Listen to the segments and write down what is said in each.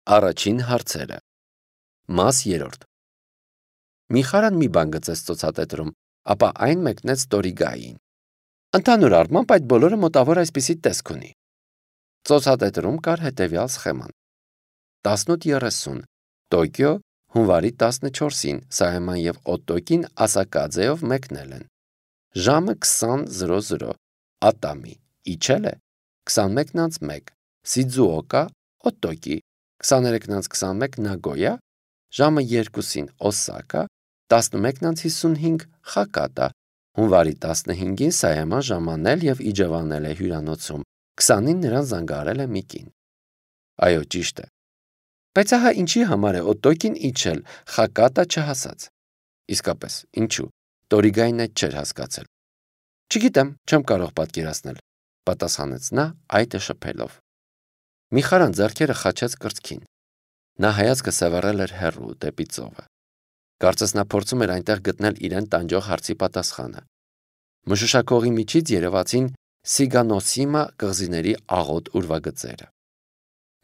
Առաջին հարցերը։ Մաս 3։ Միխարան մի բան գծեց ծոցատետրում, ապա այն մեկնեց Տորիգային։ Ընդհանուր առմամբ այդ բոլորը մոտավոր այսպիսի տեսք ունի։ Ծոցատետրում կար հետևյալ սխեման. 18:30 Տոկիո, հունվարի 14-ին Սայաման եւ Օտոկին Ասակաձեով մեկնել են։ Ժամը 20:00 Ատամի, իջել է 21:01 Սիձուոկա, Օտոկի, 23:21 Նագոյա, ժամը 2-ին Օսակա, 11:55 Խակատա, հունվարի 15-ին Սայաման ժամանել եւ իջևանել է հյուրանոցում, 20-ին նրան զանգահարել է մի կին։ Այո, ճիշտ է։ Բայց ահա ինչի համար է Օտոկին իջել, Խակատա չհասած։ Իսկապես, ինչու։ Տորիգային այդ չէր հասկացել։ Չգիտեմ, չեմ կարող պատկերացնել, պատասխանեց նա այտը շփելով։ Միխարան ձեռքերը խաչեց կրծքին։ Նա հայացքը սևեռել էր հեռու դեպի ծովը։ Կարծես նա փորձում էր այնտեղ գտնել իրեն տանջող հարցի պատասխանը։ Մշուշակողի միջից երևացին Սիգանոսիմա կղզիների աղոտ ուրվագծերը։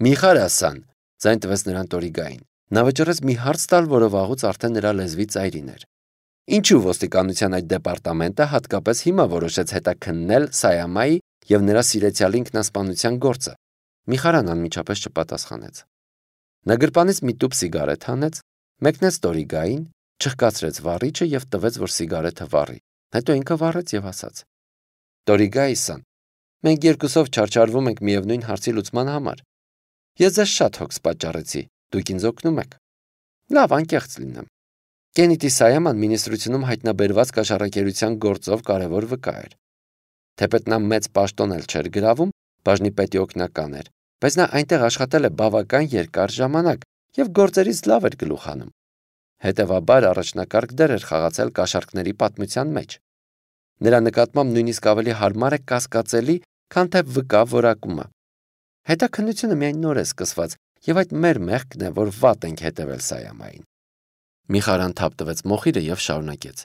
Միխարասան, ձայն տվեց նրան Տորիգային։ Նա վճռեց մի հարց տալ, որը վաղուց արդեն նրա լեզվի ծայրին էր։ Ինչու ոստիկանության այդ դեպարտամենտը հատկապես հիմա որոշեց հետաքննել Սայամայի եւ նրա սիրեցյալի ինքնասպանության գործը։ Միխարան անմիջապես չպատասխանեց։ Նա գրպանից մի տուփ սիգարետ հանեց, մեկնեց Տորիգային, չխկացրեց վառիչը եւ տվեց, որ սիգարետը վառի։ Հետո ինքը վառեց եւ ասաց. Տորիգայիսան, մենք երկուսով չարչարվում ենք միևնույն հարցի լուծման համար։ Ես ձեզ շատ հոգս պատճառեցի, դուք ինձ օգնում եք։ Լավ, անկեղծ լինեմ։ Կենիտի Սայաման մինիստրությունում հայտնաբերված կաշառակերության գործով կարևոր վկա էր։ Թեպետ նա մեծ պաշտոն էլ չէր գրավում, բաժնի պետի օգնական էր, բայց նա այնտեղ աշխատել է բավական երկար ժամանակ եւ գործերից լավ էր գլուխ հանում։ Հետևաբար առաջնակարգ դեր էր խաղացել կաշառքների պատմության մեջ։ Նրա նկատմամբ նույնիսկ ավելի հարմար է կասկածելի, քան թե վկա որակումը։ Հետաքննությունը միայն նոր է սկսված եւ այդ մեր մեղքն է, որ վատ ենք հետևել Սայամային։ Միխարան թափ տվեց մոխիրը եւ շարունակեց.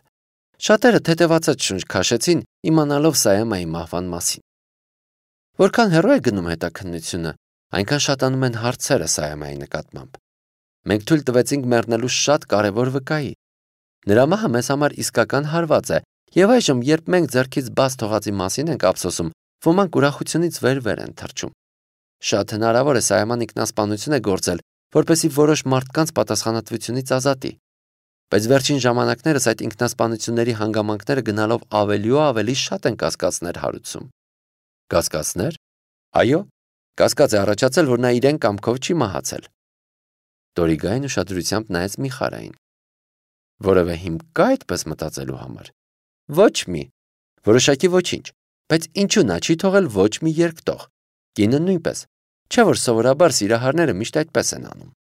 Շատերը թեթևացած շունչ քաշեցին, իմանալով Սայամայի մահվան մասին։ Որքան հեռու է գնում հետաքննությունը, այնքան շատանում են հարցերը Սայամայի նկատմամբ։ Մենք թույլ տվեցինք մեռնելու շատ կարևոր վկայի։ Նրա մահը մեզ համար իսկական հարված է, եւ այժմ, երբ մենք ձեռքից բաց թողածի մասին ենք ափսոսում, ոմանք ուրախությունից վեր են թռչում։ Շատ հնարավոր է Սայաման ինքնասպանություն է գործել, որպեսզի որոշ մարդկանց պատասխանատվությունից ազատի։ Բայց վերջին ժամանակներս այդ ինքնասպանությունների հանգամանքները գնալով ավելի ու ավելի շատ են կասկածներ հարուցում։ Կասկածներ։ Այո, կասկած է առաջացել, որ նա իրեն կամքով չի մահացել։ Տորիգային ուշադրությամբ նայեց Միխարային։ Որևէ հիմք կա այդպես մտածելու համար։ Ոչ մի։ Որոշակի ոչինչ։ Բայց ինչու նա չի թողել ոչ մի երկտող։ Կինը նույնպես։ Չէ՞ որ սովորաբար սիրահարները միշտ այդպես են անում։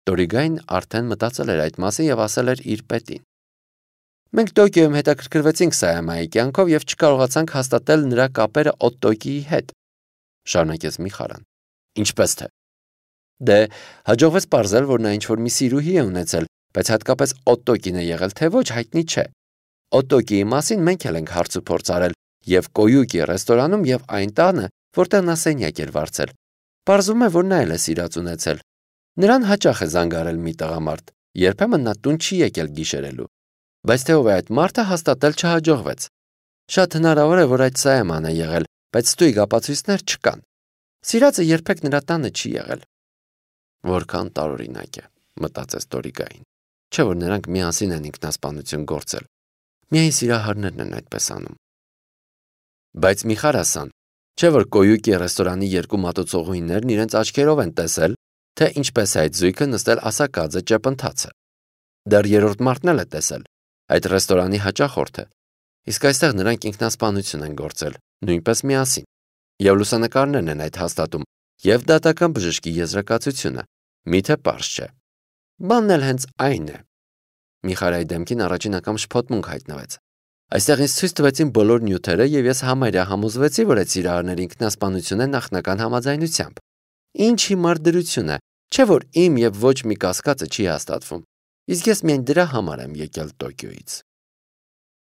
Տորիգային արդեն մտածել էր այդ մասին եւ ասել էր իր պետին. Մենք Տոկիոյում հետաքրքրվեցինք Սայամայի կյանքով եւ չկարողացանք հաստատել նրա կապերը Օտոկիի հետ։ Շարունակեց Միխարան։ Ինչպես թե։ Դե, հաջողվեց պարզել, որ նա ինչ-որ մի սիրուհի է ունեցել, բայց հատկապես Օտոկին է եղել, թե ոչ հայտնի չէ։ Օտոկիի մասին մենք էլ ենք հարց ու փորձ արել եւ Կոյուկի ռեստորանում եւ այն տանը, որտեղ նա սենյակ էր վարձել։ Պարզվում է, որ նա էլ է սիրած ունեցել։ Նրան հաճախ է զանգարել մի տղամարդ, երբեմն նա տուն չի եկել գիշերելու։ Բայց թե ով է այդ մարդը հաստատել չհաջողվեց։ Շատ հնարավոր է, որ այդ Սայաման է եղել, բայց ստույգ ապացույցներ չկան։ Սիրածը երբեք նրա տանը չի եղել։ Որքան տարօրինակ է, մտածեց Տորիգային։ Չէ՞ որ նրանք միասին են ինքնասպանություն գործել։ Միայն սիրահարներն են այդպես անում։ Բայց Միխարասան, չէ՞ որ Կոյուկի ռեստորանի երկու մատուցողուհիներն իրենց աչքերով են տեսել, թե ինչպես է այդ զույգը նստել Ասակաձե ճեպընթացը։ Դեռ երրորդ մարդն էլ է տեսել, այդ ռեստորանի հաճախորդը։ Իսկ այստեղ նրանք ինքնասպանություն են գործել, նույնպես միասին։ Եվ լուսանկարներն են այդ հաստատում, եւ դատական բժշկի եզրակացությունը։ Միթե պարզ չէ։ Բանն էլ հենց այն է։ Միխարայի դեմքին առաջին անգամ շփոթմունք հայտնվեց։ Այստեղ ինձ ցույց տվեցին բոլոր նյութերը եւ ես համարյա համոզվեցի, որ այդ սիրահարների ինքնասպանություն է նախնական համաձայնությամբ։ Ինչ հիմար դրություն է, չէ՞ որ իմ եւ ոչ մի կասկածը չի հաստատվում։ Իսկ ես միայն դրա համար եմ եկել Տոկիոյից։